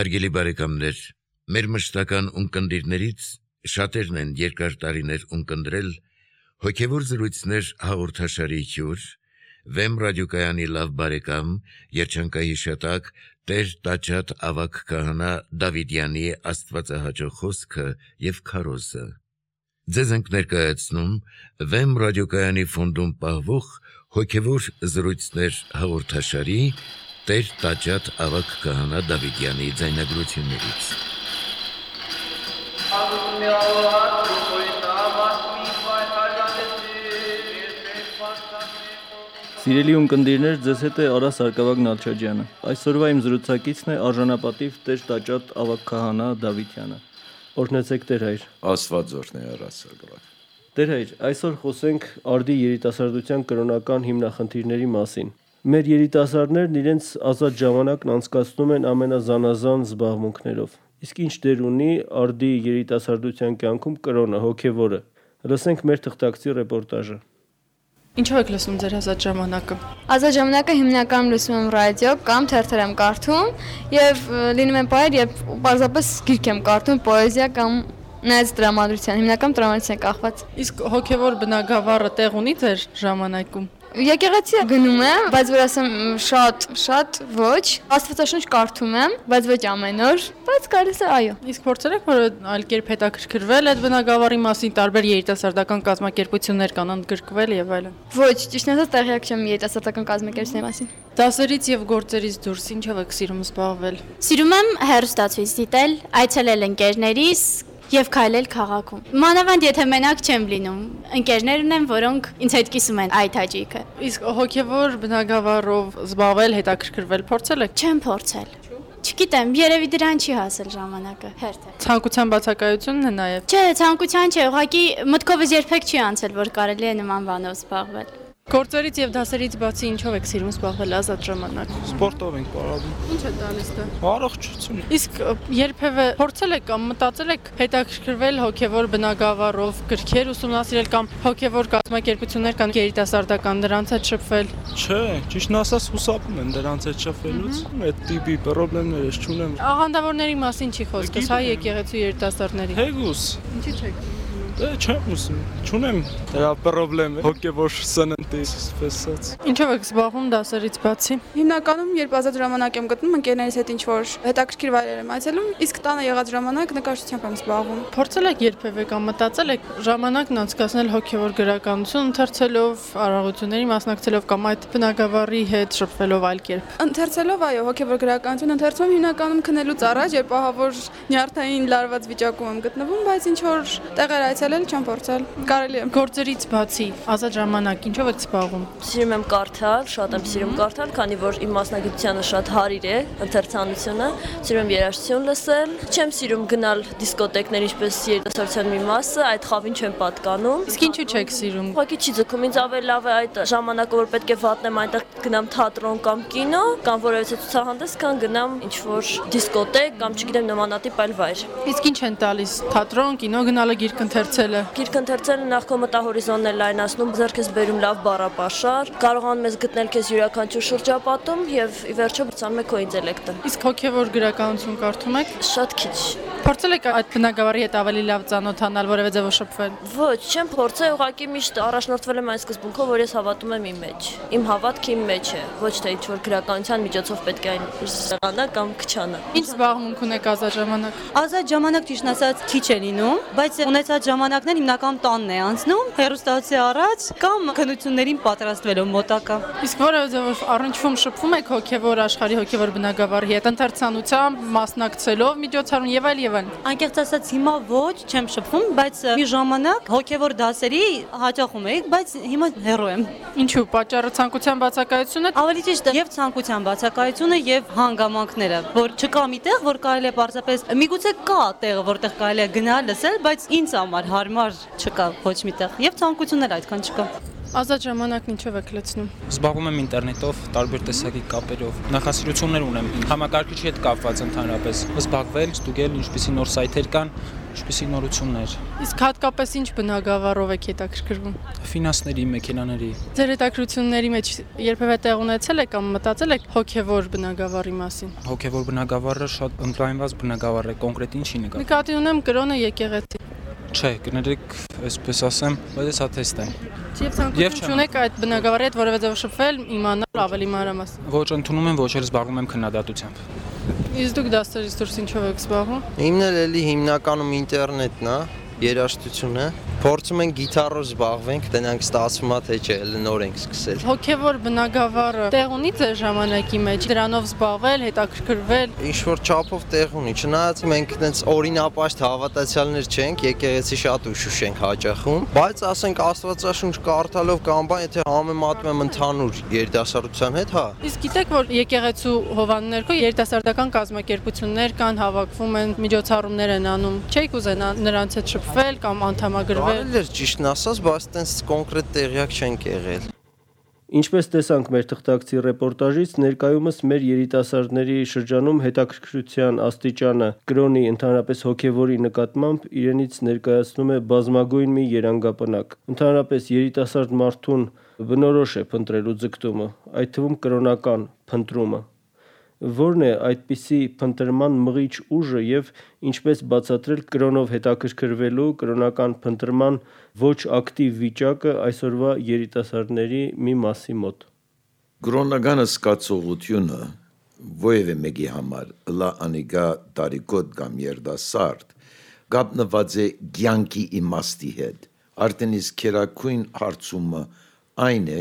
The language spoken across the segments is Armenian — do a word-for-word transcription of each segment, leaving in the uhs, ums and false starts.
Հարգելի բարեկամներ, մեր մշտական ունկնդիրներից շատերն են երկար տարիներ ունկնդրել հոգևոր զրույցներ հաղորդաշարի հյուր, Վեմ ռադիոկայանի լավ բարեկամ, երջանկահիշատակ Տեր Տաճատ ավագ քահանա Դավիդյանի աստվածահաճո խոսքը եւ քարոզը։ Ձեզ ենք ներկայացնում Վեմ ռադիոկայանի ֆոնդում պահվող հոգևոր զրույցներ հաղորդաշարի Տեր Տաճատ ավագ քահանա Դավիդյանի ձայնագրություններից։ Սիրելի ունկնդիրներ, ձեզ հետ է Արա Սարգսակյան Նալչաջյանը։ Այսօրվա իմ զրուցակիցն է արժանապատիվ Տեր Տաճատ ավագ քահանա Դավիդյանը։ Օրհնեցեք Տեր հայր։ Աստված օրհնի Արա Սարգսակյան։ Տեր հայր, այսօր խոսենք արդի երիտասարդության կրոնական հիմնախնդիրների մասին։ Մեր երիտասարդներն իրենց ազատ ժամանակն անցկացնում են ամենազանազան զբաղմունքներով։ Իսկ ինչ դեր ունի արդի երիտասարդության կյանքում կրոնը, հոգևորը։ Լսենք մեր թղթակցի ռեպորտաժը։ Ինչով եք լսում ձեր ազատ ժամանակը։ Ազատ ժամանակը հիմնականում լսում եմ ռադիո կամ թերթեր եմ կարդում եւ լինում են պահեր, երբ պարզապես գիրք եմ կարդում, պոեզիա կամ նայած տրամադրության, հիմնական տրամադրության կախված։ Իսկ հոգևոր բնագավառը տեղ ունի ձեր ժամանակում։ Եկեղեցի գնում եմ, բայց որ ասեմ շատ, շատ ոչ, Աստվածաշունչ կարդում եմ, բայց ոչ ամեն օր, բայց գալիս է այո։ Իսկ փորձել եք որ այլ կերպ հետաքրքրվել այդ բնագավառի մասին, տարբեր երիտասարդական կազմակերպություններ կան ընդգրկվել եւ այլն։ Ոչ, ճիշտն ասած տեղյակ չեմ երիտասարդական կազմակերպությունների մասին։ Դասերից եւ գործերից դուրս ինչով եք սիրում զբաղվել։ Սիրում եմ հեռուստացույց դիտել, այցելել ընկերներիս եւ քայլել քաղաքում։ Մանավանդ եթե մենակ չեմ լինում, ընկերներ ունեմ, որոնք ինձ հետ կիսում են այդ հաճույքը։ Իսկ հոգևոր բնագավառով զբաղվել, հետաքրքրվել փորձել եք։ Չեմ փորձել։ Չգիտեմ, երևի դրան չի հասել ժամանակը, հերթ է։ Ցանկության բացակայությունն է նաեւ։ Չէ, ցանկության չէ, ուղղակի մտքովս երբեք չի անցել, որ կարելի է նման բանով զբաղվել։ Գործերից եւ դասերից բացի ինչով եք սիրում զբաղվել ազատ ժամանակ։ Սպորտով ենք պարապում։ Ինչ է տալիս դա։ Առողջություն։ Իսկ երբևէ փորձել եք կամ մտածել եք հետաքրքրվել հոգևոր բնագավառով, գրքեր ուսումնասիրել կամ հոգևոր կազմակերպություններ կան երիտասարդական դրանց հետ շփվել։ Չէ, ճիշտն ասած հուսապում են դրանց հետ շփվելուց։ Այդ տիպի խնդիրներ ես չունեմ։ Աղանդավորների մասին չի խոսքս, հայ եկեղեցու երիտասարդների։ Հեգուս։ Ինչի՞ չեք։ Դե չեմ ուզում, չունեմ դրա խնդրեմ, հոգևոր սննդի, ասած։ Ինչով եք զբաղվում դասերից բացի։ Հիմնականում երբ ազատ ժամանակ եմ գտնում, ընկերներիս հետ ինչ-որ հետաքրքիր վայրեր եմ այցելում, իսկ տանը եղած ժամանակ նկարչությամբ եմ զբաղվում։ Փորձել եք երբևէ կամ մտածել եք ժամանակն անցկացնել հոգևոր գրականություն ընթերցելով, արարողությունների մասնակցելով կամ այդ բնագավառի հետ շփվելով այլ կերպ։ Ընթերցելով, այո, հոգևոր գրականություն ընթերցում հիմնականում քնելուց առաջ, երբ ահավոր նյարդային լարված վիճակում եմ գտնվում, բայց ինչ-որ տեղեր այցելել չեմ փորձել։ Կարելի է։ Գործերից բացի ազատ ժամանակ ինչով եք զբաղվում։ Սիրում եմ կարդալ, շատ եմ սիրում կարդալ, քանի որ իմ մասնագիտությունը շատ հարիր է, ընթերցանությունը, սիրում եմ երաժշտություն լսել, չեմ սիրում գնալ դիսկոտեկներ, ինչպես երիտասարդության մի մասը, այդ խավին չեմ պատկանում։ Իսկ ինչու չեք սիրում։ Ուղղակի չի ձգում, ինձ ավելի լավ է այդ ժամանակը, որ պետք է վատնեմ այնտեղ գնամ թատրոն կամ կինո, կամ որևէ ցուցահանդես, քան գնամ ինչ-որ դիսկոտեկ կամ չգիտեմ նմանատիպ այլ վայր։ Իսկ ինչ են տալիս թատրոն, կինո գնալը, գիրք ընթերցելը։ Գիրք ընթերցելը նախ քո մտահորիզոնն է լայնացնում, ձեռքես բերում լավ բառապաշար, կարողանում ես գտնել քեզ յուրաքանչյուր շրջապատում եւ ի վերջո բացանում է քո ինտելեկտը։ Իսկ հոգեվոր գրականություն կարդում եք։ Շատ քիչ։ Փորձել եք այդ բնագավառի հետ ավելի լավ ծանոթանալ, որևէ ձևով շփվել։ Ոչ, չեմ փորձել, ուղղակի միշտ առաջնորդվել եմ այն սկզբունքով, որ ես հավատում եմ իմ մեջ։ Իմ հավատքը իմ մեջ է, ոչ թե ինչ-որ գրականության միջոցով պետք է այն զգանա կամ քչանա։ Ինչ զբաղմունք ունեք ազատ ժամանակ։ Ազատ ժամանակ ճիշտ ասած քիչ է լինում, բայց ունեցած ժամանակներ հիմնական տանն է անցնում, հեռուստացի առաջ կամ քննություններին պատրաստվելով մոտակա։ Իսկ որևէ ձևով առնչվում շփվում եք հոգևոր աշխարհի, հոգևոր բնագավառի հետ, ընթերցանությամբ, մասնակցելով միջոցառում եւ այլ եւ այլ։ Անկեղծ ասած հիմա ոչ, չեմ շփվում, բայց մի ժամանակ հոգևոր դասերի հաճախում էի, բայց հիմա հեռու եմ։ Ինչու՞, պատճառը ցանկության բացակայությունն է։ Ավելի ճիշտ եւ ցանկության բացակայությունը եւ հանգամանքները, որ չկա մի տեղ, որ կարելի է պարզապես միգուցե կա տեղ, որտեղ կարելի է գնալ, լսել, բայց ինձ համար հարմար չկա ոչ մի տեղ եւ ցանկություններ այդքան չկա։ Ազատ ժամանակն ինչով եք լցնում։ Զբաղվում եմ ինտերնետով, տարբեր տեսակի կապերով։ Նախասիրություններ ունեմ համակարգիչի հետ կապված ընդհանրապես։ Զբաղվել, ստուգել, ինչպիսի նոր սայթեր կան, ինչպեսի նորություններ։ Իսկ հատկապես ինչ բնագավառով եք հետաքրքրվում։ Ֆինանսների, մեքենաների։ Ձեր հետաքրքրությունների մեջ երբևէ տեղ ունեցել եք կամ մտածել եք հոգևոր բնագավառի մասին։ Հոգևոր բնագավառը շատ ընդլայնված բնագավառ է, կոնկրետ ինչի նկատի։ Նկատի ունեմ կրոնը եկեղեցի։ Չէ, կներեք, այսպես ասեմ, բայց ես աթեստ եմ։ Եվ ցանկություն չունեք այդ բնագավառի հետ որևէ ձև շփվել, իմանալ ավելի մանրամասն։ Ոչ ընդունում եմ, ոչ էլ զբաղվում եմ քննադատությամբ։ Իսկ դուք դասերից դուրս ինչով եք զբաղվում։ Իմն էլ էլի հիմնականում ինտերնետն է, երաժշտությունը։ Փորձում ենք գիտարով զբաղվենք, տնանք ստացվում է թե չէ, էլ նոր ենք սկսել։ Հոգևոր բնագավառը տեղ ունի ձեր ժամանակի մեջ, դրանով զբաղվել, հետաքրքրվել։ Ինչ որ չափով տեղ ունի, չնայած մենք այդպես օրինապաշտ հավատացյալներ չենք, եկեղեցի շատ ուշուշ ենք հաճախում, բայց ասենք Աստվածաշունչ կարդալով կամ բան, եթե համեմատում եմ ընդհանուր երիտասարդության հետ, հա։ Իսկ գիտեք, որ եկեղեցու հովան ներքո երիտասարդական կազմակերպություններ կան, հավաքվում են, միջոցառումներ են անում։ Չէ՞ք ուզենա նրանց հետ շփվել կամ անդամագրվել։ Կարելի էր ճիշտն ասած, բայց այդպես կոնկրետ տեղյակ չենք եղել։ Ինչպես տեսանք մեր թղթակցի ռեպորտաժից, ներկայումս մեր երիտասարդների շրջանում հետաքրքրության աստիճանը կրոնի ընդհանրապես հոգևորի նկատմամբ իրենից ներկայացնում է բազմագույն մի երանգապնակ։ Ընդհանրապես երիտասարդ մարդուն բնորոշ է փնտրելու ձգտումը, այդ թվում կրոնական փնտրումը։ Որն է այդպիսի փնտրման մղիչ ուժը եւ ինչպես բացատրել կրոնով հետաքրքրվելու կրոնական փնտրման ոչ ակտիվ վիճակը այսօրվա երիտասարդների մի մասի մոտ։ Կրոնական սկացողությունը որևէ մեկի համար լա անիգա տարիքոտ կամ երդասարդ գտնված է ցանկի իմաստի հետ։ Արդեն իսկ քերակույն հարցումը այն է,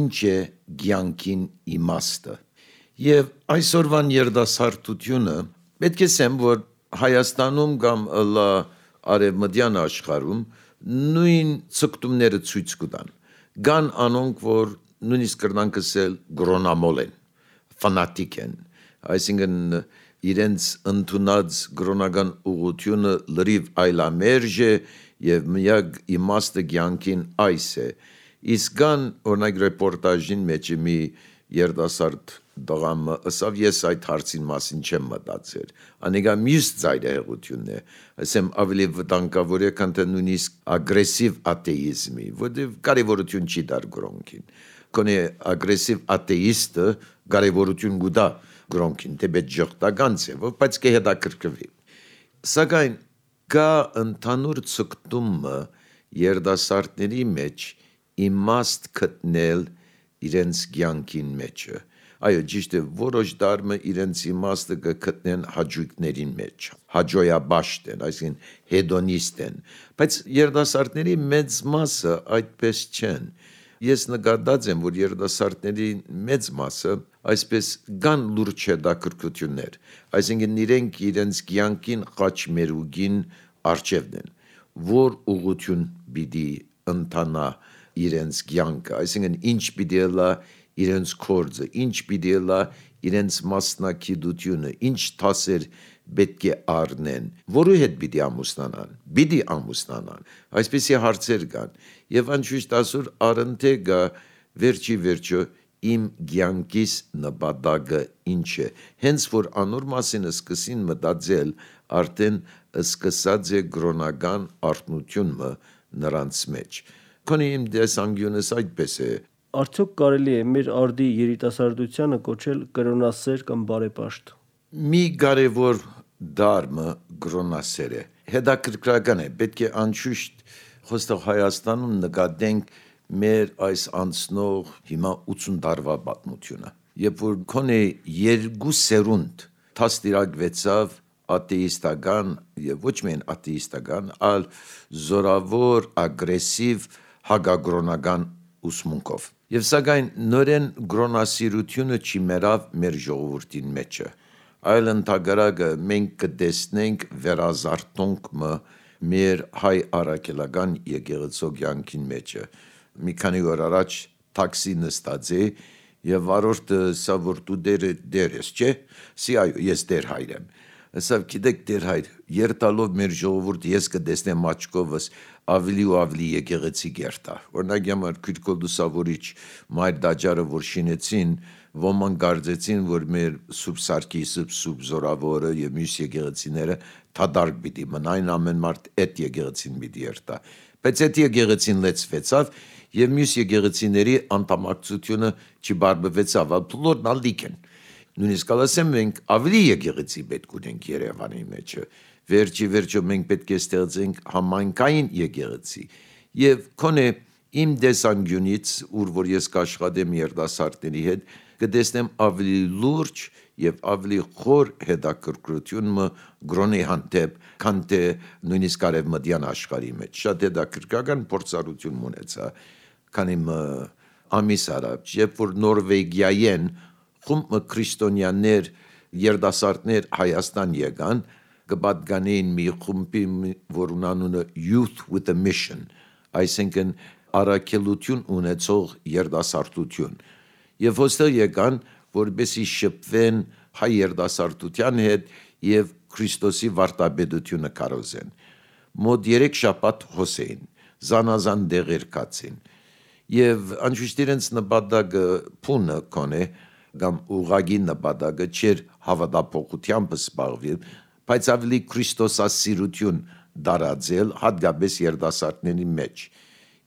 ինչ է ցանկին իմաստը։ Եվ այսօրվան երդասարտությունը պետք է ասեմ, որ Հայաստանում կամ լա արևմտյան աշխարհում նույն ցկտումները ցույց կտան։ Կան անոնք, որ նույնիսկ կրնանք ասել գրոնամոլ են, ֆանատիկ են, այսինքն իրենց ընդունած գրոնական ուղղությունը լրիվ այլամերժ է եւ միակ իմաստը ցանկին այս է։ Իսկ կան օրինակ ռեպորտաժին մեջ մի երդասարդ դղամը ասավ ես այդ հարցին մասին չեմ մտածել։ Անիկա մյուս ծայրահեղությունն է, ասեմ ավելի վտանգավոր է, քան թե նույնիսկ ագրեսիվ աթեիզմի, որտեղ կարևորություն չի դար գրոնքին։ Կոնե ագրեսիվ աթեիստը կարևորություն գուտա գրոնքին, թե բետ ժողտական է, բայց կհետաքրքրվի։ Սակայն կա ընդհանուր ցկտումը երդասարտների մեջ իմաստ գտնել իրենց ցանկին մեջը։ Այո, ճիշտ է, որոշ դարմը իրենց իմաստը կգտնեն հաճույքներին մեջ, հաջոյաբաշտ են, այսինքն հեդոնիստ են, բայց երդասարտների մեծ մասը այդպես չեն։ Ես նկատած եմ, որ երդասարտների մեծ մասը այսպես կան լուրջ հետաքրքրություններ, այսինքն իրենք իրենց կյանքին խաչմերուկին առջևն են, որ ուղղություն պիտի ընթանա իրենց կյանքը, այսինքն ինչ պիտի լա իրենց կորձը, ինչ պիտի լա իրենց մասնակցությունը, ինչ տասեր պետք է առնեն, որու հետ պիտի ամուսնանան, պիտի ամուսնանան, այսպեսի հարցեր կան, եւ անշուշտ ասուր առընթե գա վերջի վերջո իմ կյանքիս նպատակը ինչ է, հենց որ անոր մասին սկսին մտածել, արդեն սկսած է կրոնական արթնությունը նրանց մեջ։ Քանի իմ դեսանգյունս այդպես է։ Արդյոք կարելի է մեր արդի երիտասարդությանը կոչել կրոնասեր կամ բարեպաշտ։ Մի կարևոր դարմը կրոնասեր է։ Հետաքրքրական է, պետք է անշուշտ խոստով Հայաստանում նկատենք մեր այս անցնող հիմա ութսուն տարվա պատմությունը։ Երբ որ քոնե երկու սերունդ թաստիրակվեցավ աթեիստական եւ ոչ միայն աթեիստական, այլ զորավոր ագրեսիվ հագագրոնական ուսմունքով։ Եվ սակայն նորեն գրոնասիրությունը չի մերավ մեր ժողովրդին մեջը, այլ ընդհակառակը մենք կտեսնենք վերազարթոնքը մեր հայ առաքելական եկեղեցու կյանքին մեջը։ Մի քանի օր առաջ տաքսի նստած է եւ վարորդը սա որ դու դեր դեր ես, չէ՞։ Սի այո, ես դեր հայր եմ։ Ասավ գիտեք դեր հայր, երտալով մեր ժողովուրդ ես կտեսնեմ աչքովս ավելի ու ավելի եկեղեցի գերտա։ Օրինակ համար քրկոլ դուսավորիչ մայր դաջարը որ շինեցին, ոման կարծեցին, որ մեր Սուրբ Սարգիսը, Սուրբ Զորավորը եւ մյուս եկեղեցիները թադարկ պիտի մնային, ամեն մարդ այդ եկեղեցին պիտի երթա։ Բայց այդ եկեղեցին լեցվեցավ եւ մյուս եկեղեցիների անդամակցությունը չբարբվեցավ, բոլորն ալիք են։ Նույնիսկ ասեմ մենք ավելի եկեղեցի պետք ունենք Երևանի մեջ։ Վերջի վերջո մենք պետք է ստեղծենք համայնքային եկեղեցի եւ քոնե իմ դեսանգյունից, ուր որ ես կաշխատեմ երիտասարդների հետ, կտեսնեմ ավելի լուրջ եւ ավելի խոր հետաքրքրությունը գրոնի հանդեպ, քան թե նույնիսկ արևմտյան աշխարհի մեջ։ Շատ հետաքրքրական փորձառություն ունեցա, քանի ամիս առաջ, երբ որ Նորվեգիայեն խումբ քրիստոնյաներ, երիտասարդներ Հայաստան եկան, կպատկանեին մի խումբի, որ ունանունը Youth with a Mission, այսինքն առաքելություն ունեցող երիտասարդություն։ Եվ ոստեղ եկան, որպեսզի շփվեն հայ երիտասարդության հետ եւ Քրիստոսի վարտաբեդությունը կարոզեն։ Մոտ երեք շաբաթ հոսեին, զանազան դեղեր կացին։ Եվ անշուշտ իրենց նպատակը փունը կոնե, կամ ուղղակի նպատակը չէր հավատափոխությամբ զբաղվել, բայց ավելի քրիստոսասիրություն դարաձել հատկապես երիտասարդների մեջ։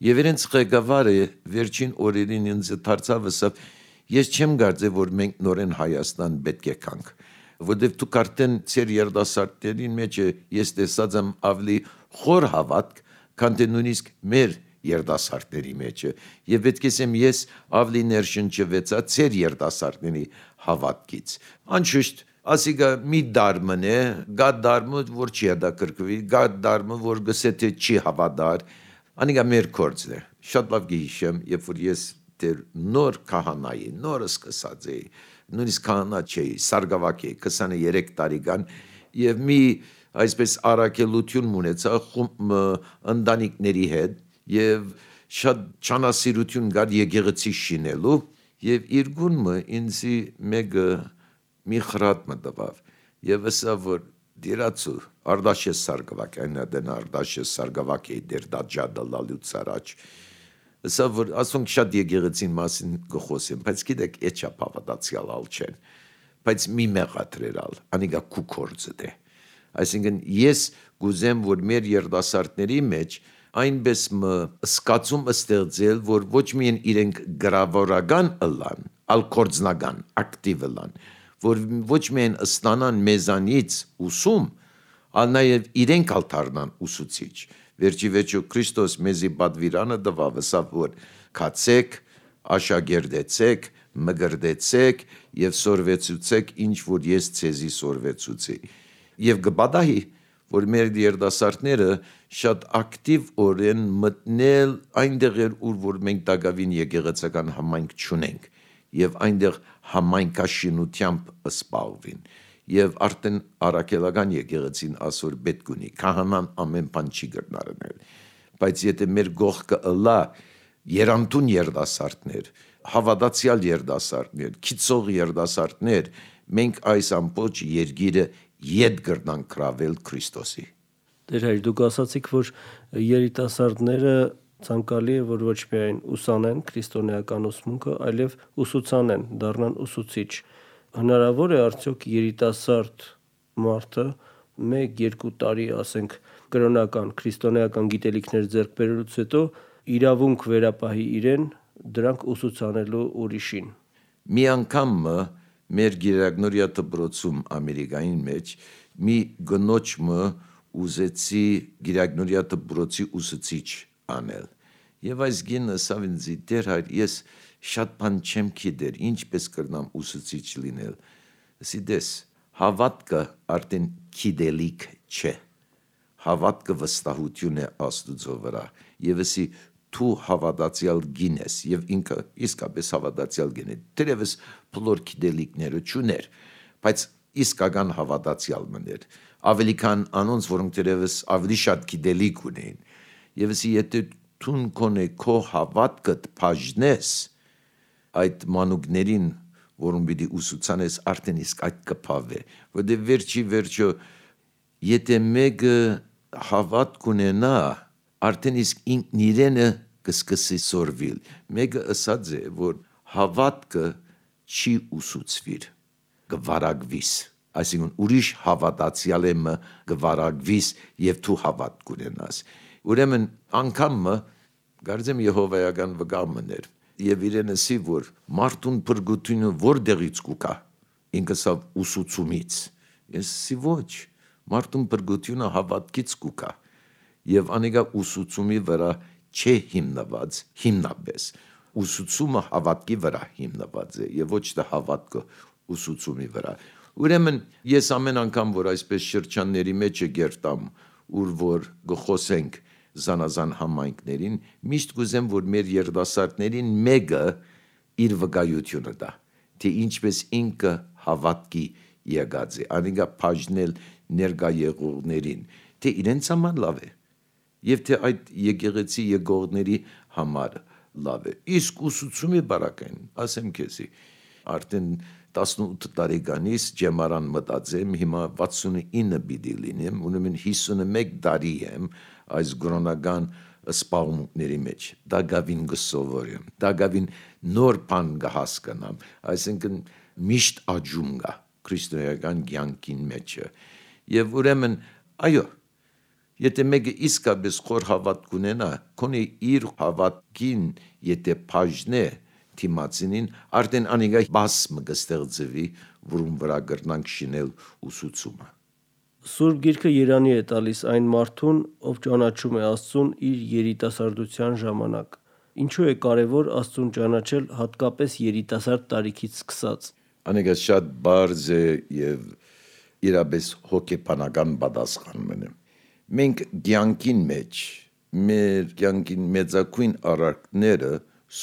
Եվ իրենց ղեկավարը վերջին օրերին ինձ դարձավ ասավ, ես չեմ կարծե, որ մենք նորեն Հայաստան պետք է կանք, որովհետև դուք արդեն ձեր երիտասարդների մեջ ես տեսած եմ ավելի խոր հավատք, քան թե նույնիսկ մեր երիտասարդների մեջ, եւ պետք է ասեմ ես ավելի ներշնչվեցա ձեր երիտասարդների հավատքից։ Անշուշտ ասիկա մի դարմն է, գա դարմը, որ չի հետաքրքրվի, գա դարմը, որ գսե թե չի հավատար, անիկա մեր կորձն է։ Շատ լավ գիշեմ, երբ որ ես դեր նոր քահանայի, նոր սկսած էի, նույնիսկ քահանա չէի, սարգսակ էի, քսաներեք տարեկան, եւ մի այսպես առաքելություն ունեցա խումբ ընտանիքների հետ, եւ շատ ճանասիրություն կար եկեղեցի շինելու, եւ իրգունը ինձի մեկը մի խրատ մտավ եւ ասա որ դիրացու արդաշե սարգսակ այնադեն արդաշե սարգսակ է դեր դաջադը լալուց առաջ ասա որ ասոնք շատ եկեղեցին մասին գխոսեմ բայց գիտեք էչա հավատացյալ ալ չեն բայց մի մեղատրերալ անիգա կուկորձը դե այսինքն ես գուզեմ որ մեր երդասարտների մեջ այնպես մը սկացում ստեղծել որ ոչ միայն իրենք գրավորական ըլան ալ կորձնական ակտիվ ըլան որ ոչ միայն ստանան մեզանից ուսում, ալ նաև իրենք ալ դառնան ուսուցիչ։ Վերջի վերջո Քրիստոս մեզի պատվիրանը տվավ, ասավ որ քացեք, աշակերտեցեք, մգրդեցեք եւ սորվեցուցեք, ինչ որ ես ցեզի սորվեցուցի։ Եվ գբադահի, որ մեր երդասարտները շատ ակտիվ օրեն մտնել այնտեղ ուր որ մենք տակավին եկեղեցական համայնք չունենք եւ այնտեղ համայնքաշինությամբ սպառվին եւ արդեն արաքելական եկեղեցին ասոր պետք ունի քահանան ամեն բան չի գտնարնել բայց եթե մեր գողքը ըլա երամտուն երդասարտներ հավատացյալ երդասարտներ քիծող երդասարտներ մենք այս ամբողջ երկիրը ետ գրնանք կրավել Քրիստոսի Դեր հայր դուք ասացիք որ երիտասարդները ցանկալի է որ ոչ միայն ուսանեն քրիստոնեական ուսմունքը, այլև ուսուցանեն, դառնան ուսուցիչ։ Հնարավոր է արդյոք երիտասարդ մարդը մեկ երկու տարի, ասենք, կրոնական, քրիստոնեական գիտելիքներ ձեռք բերելուց հետո իրավունք վերապահի իրեն դրանք ուսուցանելու ուրիշին։ Մի անգամ մեր գիրագնորյա դպրոցում Ամերիկային մեջ մի գնոջը ուզեցի գիրագնորյա դպրոցի ուսուցիչ անել։ Եվ այս գինը սավինձի դեր հայր ես շատ բան չեմ գիտեր, ինչպես կրնամ ուսուցիչ լինել։ Ասի դես, հավատքը արդեն գիտելիք չէ։ Հավատքը վստահություն է Աստծո վրա։ Եվ ասի դու հավատացյալ գինես եւ ինքը իսկապես հավատացյալ գին է։ Դերևս բոլոր գիտելիքները չուներ, բայց իսկական հավատացյալ մներ։ Ավելի քան անոնց, որոնք դերևս ավելի շատ գիտելիք ունեն։ Եվ ասի եթե տուն կոնե քո հավատքդ բաժնես այդ մանուկներին, որոնք պիտի ուսուցանես արդեն իսկ այդ կփավե, որտեղ վերջի վերջո եթե մեկը հավատք ունենա, արդեն իսկ ինքն իրենը կսկսի սորվել։ Մեկը ասած է, որ հավատքը չի ուսուցվիր, գվարագվիս, այսինքն ուրիշ հավատացյալ եմը գվարագվիս եւ դու հավատ կունենաս։ Ուրեմն անգամը գարձեմ Եհովայական վգամներ եւ իրենսի որ մարդուն բրգությունը որտեղից կուկա ինքսավ ուսուցումից ես սի ոչ մարդուն բրգությունը հավատքից կուկա եւ անիկա ուսուցումի վրա չէ հիմնված հիմնապես ուսուցումը հավատքի վրա հիմնված է եւ ոչ թե հավատքը ուսուցումի վրա։ Ուրեմն ես ամեն անգամ որ այսպես շրջանների մեջ գերտամ ուր որ գխոսենք զանազան համայնքներին միշտ կուզեմ որ մեր երդասարտներին մեկը իր վկայությունը տա թե ինչպես ինքը հավատքի եկած է անիկա բաժնել ներկա եղողներին թե իրենց համար լավ է եւ թե այդ եկեղեցի եկողների համար լավ է իսկ ուսուցումի բարակային ասեմ քեզի արդեն տասնութ տարեկանից ջեմարան մտածեմ հիմա վաթսունինը պիտի լինեմ ուրեմն հիսունմեկ տարի եմ այս գրոնական սպառումների մեջ դա գավին գսովորեմ դա գավին նոր բան կհասկանամ այսինքն միշտ աճում կա քրիստոնեական կյանքին մեջ եւ ուրեմն այո եթե մեկը իսկապես խոր հավատ կունենա քոնի իր հավատքին եթե բաժնե թիմացինին արդեն անիկա բասմ կստեղծվի որում վրա կրնանք շինել ուսուցումը Սուրբ Գիրքը երանի է տալիս այն մարդուն, ով ճանաչում է Աստծուն իր երիտասարդության ժամանակ։ Ինչու է կարևոր Աստծուն ճանաչել հատկապես երիտասարդ տարիքից սկսած։ Անիկա շատ բարձ է եւ իրապես հոգեբանական պատասխան մնա։ Մենք կյանքին մեջ մեր կյանքին մեծակույն արարքները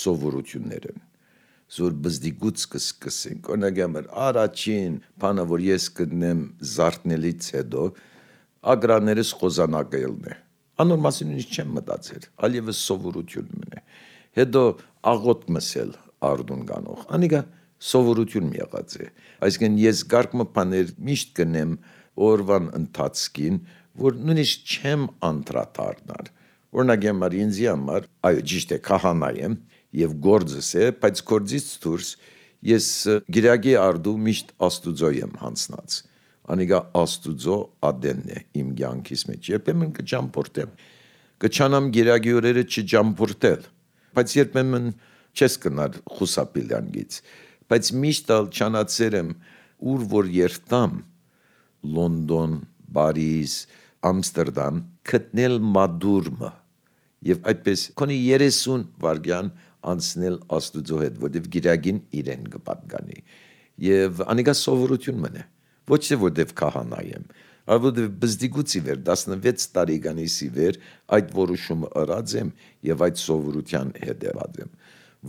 սովորություններ են։ Զոր բզդիգուց կսկսենք, օրինակ առաջին բանը, որ ես կդնեմ զարթնելից հետո, ագրաներս խոզանակելն է։ Անոր մասին ինչ չեմ մտածել, այլևս սովորություն մնե։ Հետո աղոտ մսել արդուն գանող, անիկա սովորություն եղած է։ Այսինքն ես գարկմը բաներ միշտ կնեմ օրվան ընթացքին, որ նույնիսկ չեմ անդրադառնալ։ Օրինակ համար ինձ համար, այո, ճիշտ է, քահանա եմ եւ գործս է, բայց գործից դուրս ես գիրագի արդու միշտ Աստուծո եմ հանցնած։ Անիկա Աստուծո ադենն է իմ կյանքիս մեջ։ Երբեմն կճամփորդեմ։ Կչանամ գիրագի օրերը չճամփորդել, բայց երբեմն չես կնար խուսապիլյանգից։ Բայց միշտ ալ չանացել եմ ուր որ երթամ Լոնդոն, Փարիզ, Ամստերդամ գտնել մադուրմը եւ այդպես քոնի երեսուն վարգյան անցնել Աստուծո հետ, որտեվ գիրագին իրեն կպատկանի եւ անիկա սովորություն մնա ոչ թե որտեվ քահանա եմ այլ որտեվ բզդիգուցի վեր տասնվեց տարեկանից ի վեր այդ որոշումը ըրած եմ եւ այդ սովորության հետեւած եմ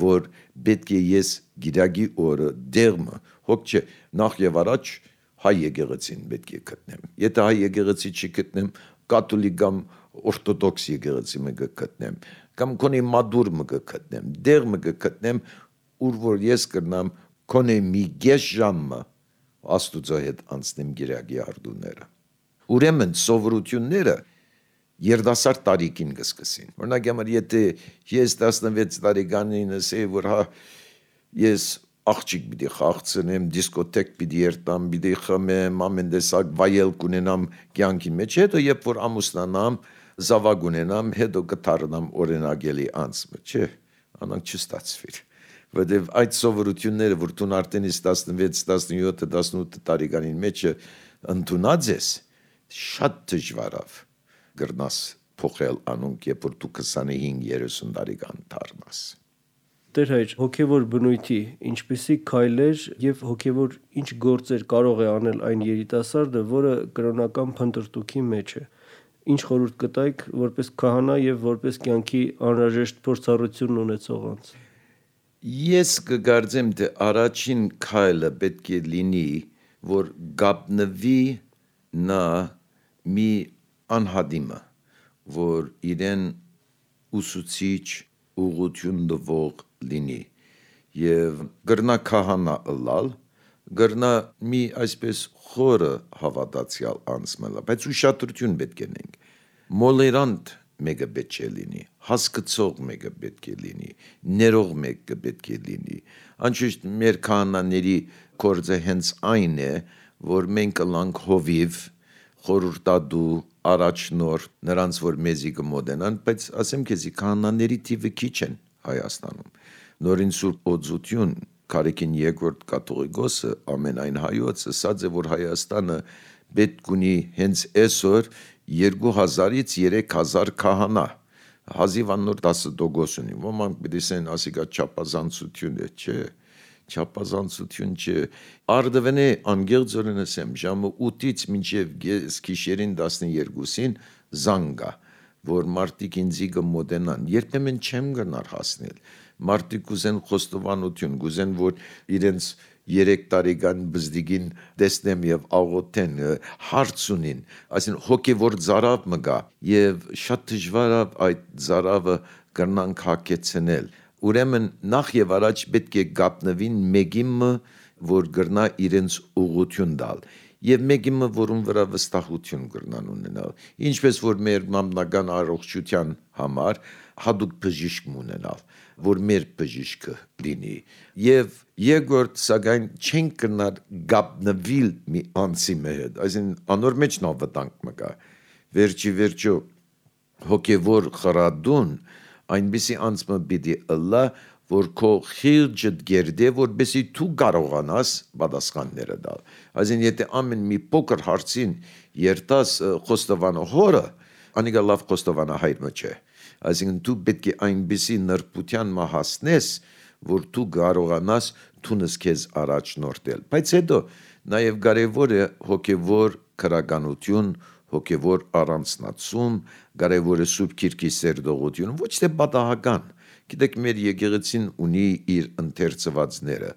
որ պետք է ես գիրագի օրը դերմը հոգ չէ նախ եւ առաջ հայ եկեղեցին պետք է գտնեմ եթե հայ եկեղեցի չգտնեմ կաթոլիկ կամ օրթոդոքս եկեղեցի մը գտնեմ կամ քոնի մադուր մը գտնեմ դեր մը գտնեմ ուր որ ես կրնամ քոնի մի գեշ ժամը Աստուծո հետ անցնեմ գիրագի արդուները ուրեմն սովորությունները երդասարդ տարիքին կսկսին օրինակ համար եթե ես տասնվեց տարեկանին ասեի որ հա ես աղջիկ պիտի խաղցնեմ դիսկոթեկ պիտի երտամ պիտի խմեմ ամեն տեսակ վայել կունենամ կյանքի մեջ հետո երբ որ ամուսնանամ զավակ ունենամ հետո կդառնամ օրինակելի անձը չէ անանք չստացվիր որտեվ այդ սովորությունները որ դու արդեն տասնվեց տասնյոթ տասնութ տարեկանին մեջ ընդունած ես շատ դժվարավ գրնաս փոխել անոնք երբ որ դու քսանհինգ երեսուն տարեկան դառնաս Տեր հայր, հոգևոր բնույթի ինչպիսի քայլեր եւ հոգևոր ինչ գործեր կարող է անել այն երիտասարդը, որը կրոնական փնտրտուքի մեջ է։ Ինչ խորհուրդ կտայիք որպես քահանա եւ որպես կյանքի անհրաժեշտ փորձառություն ունեցող անձ։ Ես կգարձեմ թե առաջին քայլը պետք է լինի, որ գապնվի նա մի անհադիմը, որ իրեն ուսուցիչ ուղղություն տվող լինի եւ գրնա քահանա ըլալ գրնա մի այսպես խորը հավատացյալ անձ մնալ բայց ուշադրություն պետք է ունենք մոլերանտ մեկը պետք է լինի, հասկացող մեկը պետք է լինի, ներող մեկը պետք է լինի։ Անշուշտ մեր քահանաների գործը հենց այն է, որ մենք կլանք հովիվ, խորհրդադու, առաջնորդ, նրանց որ մեզի կմոտենան, բայց ասեմ քեզի քահանաների թիվը քիչ են Հայաստանում։ Նորին Սուրբ Օծություն Կարեկին երկրորդ կաթողիկոսը ամենայն հայոց ասաց է, որ Հայաստանը պետք ունի հենց այսօր երկու հազարից երեք հազար քահանա, հազիվ անոր տասը տոկոս ունի, ոմանք բդիսեն ասիկա չապազանցություն է, չէ, չապազանցություն չէ, արդվենե անգեղձորեն ասեմ, ժամը ութից մինչև գիշերին տասներկուսին զանգա, որ մարդիկ ինձի կմոտենան, երբեմն չեմ գնար հասնել, մարդիկ կուզեն խոստովանություն, կուզեն, որ իրենց երեք տարեկան բզդիգին տեսնեմ եւ աղոթեն, հարց ունին, այսին հոգեվոր ծարավ մը գա եւ շատ դժվար է այդ ծարավը կրնանք հակեցնել։ Ուրեմն նախ եւ առաջ պետք է գապնվին մեկիմը, որ գրնա իրենց ուղղություն տալ եւ մեկիմը, որում վրա վստահություն կրնան ունենալ։ Ինչպես որ մեր մամնական առողջության համար հadoop բժիշկ ունենալ, որ մեր բժիշկը լինի եւ երկրորդ սակայն չենք կնար գապնվիլ մի անցի հետ, այսին անոր մեջ նավտանք մը կա, վերջի վերջո հոգևոր խրադուն այնպիսի անցմը պիտի ըլլա, որ քո խիրջդ գերդե, որպեսի դու կարողանաս պատասխանները տալ։ Այսին եթե ամեն մի փոքր հարցին երտաս խոստովանո հորը, անիկա լավ խոստովանա հայրը չէ։ Այսինքն դու պետք է այնպիսի նրբության մը հասնես, որ դու կարողանաս թունս քեզ առաջնորդել։ Բայց հետո նաև կարևոր է հոգևոր քրականություն, հոգևոր առանցնացում, կարևոր է Սուրբ Գիրքի սերտողություն, ոչ թե պատահական։ Գիտեք, մեր եկեղեցին ունի իր ընթերցվածները,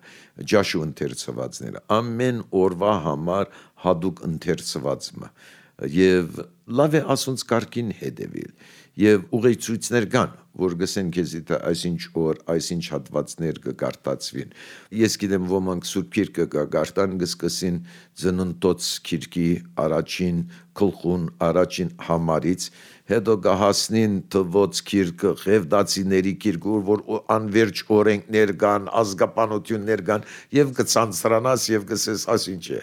ջաշու ընթերցվածները, ամեն օրվա համար հadoop ընթերցվածը, եւ լավ է ասոնց կարգին հետևել, եւ ուղեցույցներ կան, որ գսեն քեզի թե այսինչ օր, այսինչ հատվածներ կգարտացվին։ Ես գիտեմ ոմանք Սուրբ Գիրքը կգարտան գսկսին ծննդոց Գիրքի առաջին գլխուն, առաջին համարից, հետո կհասնին թվոց Գիրքը, Ղևտացիների Գիրքը, որ անverջ օրենքներ կան, ազգապանություններ կան, եւ կցանցրանաս եւ կսես ասինչ է։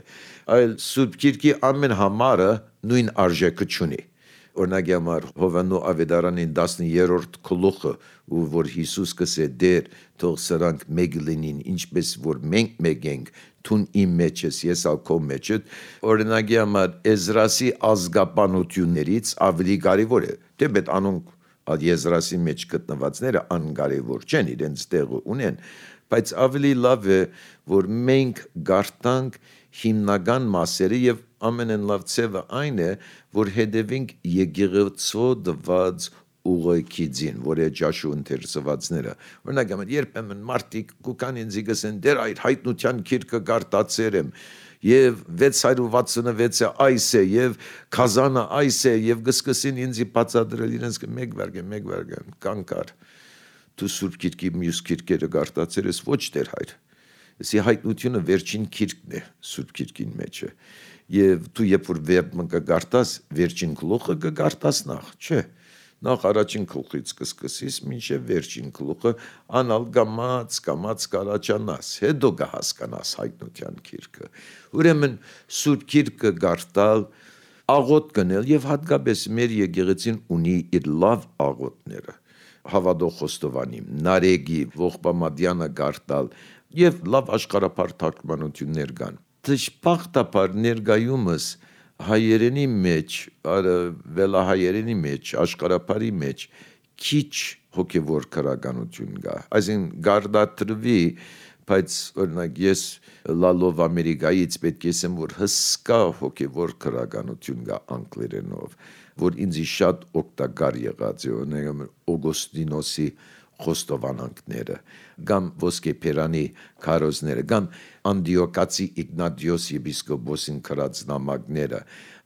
Այլ Սուրբ Գիրքի ամեն համարը նույն արժեքը չունի։ Օրինակ համար Հովանու Ավետարանին տասներորդ գլուխը, ու որ Հիսուս կսե դեր, թող սրանք մեկ լինին, ինչպես որ մենք մեկ ենք, թուն իմ մեջ ես, ես ալ քո մեջ եմ, օրինակ համար Էզրասի ազգապանություններից ավելի կարևոր է, դեպետ անոնք Եզրասի մեջ գտնվածները անկարևոր չեն, իրենց տեղը ունեն, բայց ավելի լավ է, որ մենք գարտանք հիմնական մասերը եւ ամենեն լավ ցևը այն է, որ հետևենք եկեղեցու դված ուղեկիցին, որ է ջաշու ընթերցվածները։ Օրինակ, երբեմն մարդիկ կուկան ինձ գսեն, դեր այդ հայտնության Գիրքը գարտացել եմ, եւ վեց հարյուր վաթսունվեցը այս է, եւ քազանը այս է, եւ գսկսին ինձ բացատրել իրենց մեկ վարգը, մեկ վարգը, կանկար։ Դու Սուրբ Գիրքի մյուս Գիրքերը գարտացել ես, ոչ դեր հայր։ Սի հայտնությունը վերջին Գիրքն է Սուրբ Գիրքին մեջը։ Եվ դու երբ որ վերբը կգարտաս, վերջին գլուխը կգարտաս նախ, չէ։ Նախ առաջին գլուխից կսկսես, մինչև վերջին գլուխը անալ գամած, գամած կարաճանաս, հետո կհասկանաս հայտնության Գիրքը։ Ուրեմն Սուրբ Գիրքը գարտալ, աղոթ կնել եւ հատկապես մեր եկեղեցին ունի իր լավ աղոթները։ Հավատող խոստովանիմ, Նարեգի, Ողբամադյանը գարտալ եւ լավ աշխարհապար թարգմանություններ կան։ Դժբախտաբար ներկայումս հայերենի մեջ, վելահայերենի մեջ, աշխարհապարի մեջ քիչ հոգևոր քրականություն կա։ Այսին գարդատրվի, բայց օրինակ ես լալով Ամերիկայից պետք է ասեմ, որ հսկա հոգևոր քրականություն կա անգլերենով, որ ինձ շատ օգտակար եղած է, օրինակ Օգոստինոսի խոստովանանքները, կամ ոսկե Պերանի քարոզները, կամ Անդիոկացի Իգնատիոս եպիսկոպոսին քրած նամակները,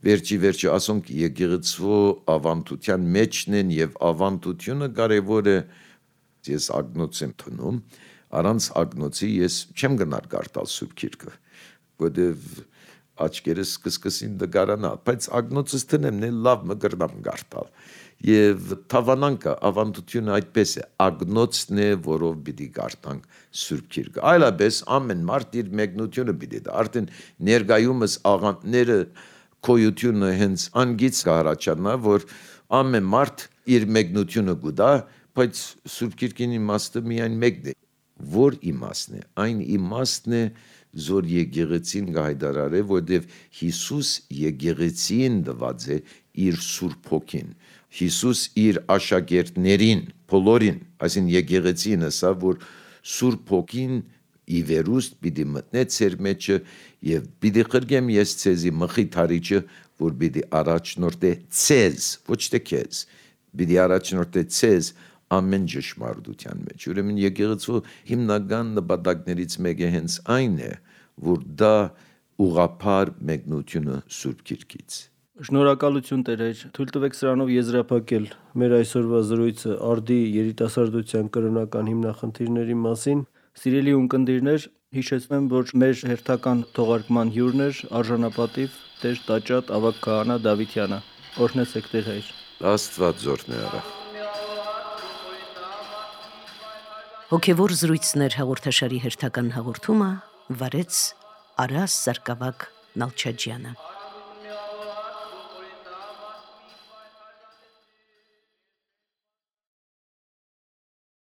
վերջի վերջի ասոնք եկեղեցու ավանդության մեջն են եւ ավանդությունը կարեւոր է, ես ագնոց եմ տնում, առանց ագնոցի ես չեմ գնար գարտալ Սուրբ Գիրքը, որտեւ աչքերս կսկսին դգարանալ, բայց ագնոցս տնեմ նել լավ մգրնամ գարտալ։ Եվ թավանանքը ավանդությունը այդպես է, ագնոցն է, որով պիտի գարտանք Սուրբ Գիրքը։ Այլապես ամեն մարդ իր մեկնությունը պիտի դա։ Արդեն ներկայումս աղանդները քոյությունը հենց անգից կհարաճանա, որ ամեն մարդ իր մեկնությունը գուտա, բայց Սուրբ Գիրքին իմաստը միայն մեկն է։ Որ իմաստն է, այն իմաստն է, որ եկեղեցին գայդարար է, որտեղ Հիսուս եկեղեցին դված է իր Սուրբ Հոգին։ Հիսուս իր աշակերտներին, բոլորին, այսին եկեղեցին ասա, որ Սուրբ Հոգին ի վերուստ պիտի մտնե ձեր մեջը եւ պիտի խրգեմ ես ցեզի մխիթարիչը, որ պիտի առաջնորդե ցեզ, ոչ թե քեզ, պիտի առաջնորդե ցեզ ամեն ճշմարտության մեջ։ Ուրեմն եկեղեցու հիմնական նպատակներից մեկը հենց այն է, որ դա ուղղափառ մեկնությունը Սուրբ Գիրքից։ Շնորհակալություն Տերեր, թույլ տվեք սրանով եզրափակել մեր այսօրվա զրույցը արդի երիտասարդության կրոնական հիմնախնդիրների մասին։ Սիրելի ունկնդիրներ, հիշեցնեմ, որ մեր հերթական թողարկման հյուրն էր արժանապատիվ Տեր Տաճատ Ավագ քահանա Դավիթյանը։ Օրհնեցեք Տեր Հայր։ Աստված զորն է արա։ Հոգևոր զրույցներ հաղորդաշարի հերթական հաղորդումը վարեց Արաս Սարգսակ Նալչաջյանը։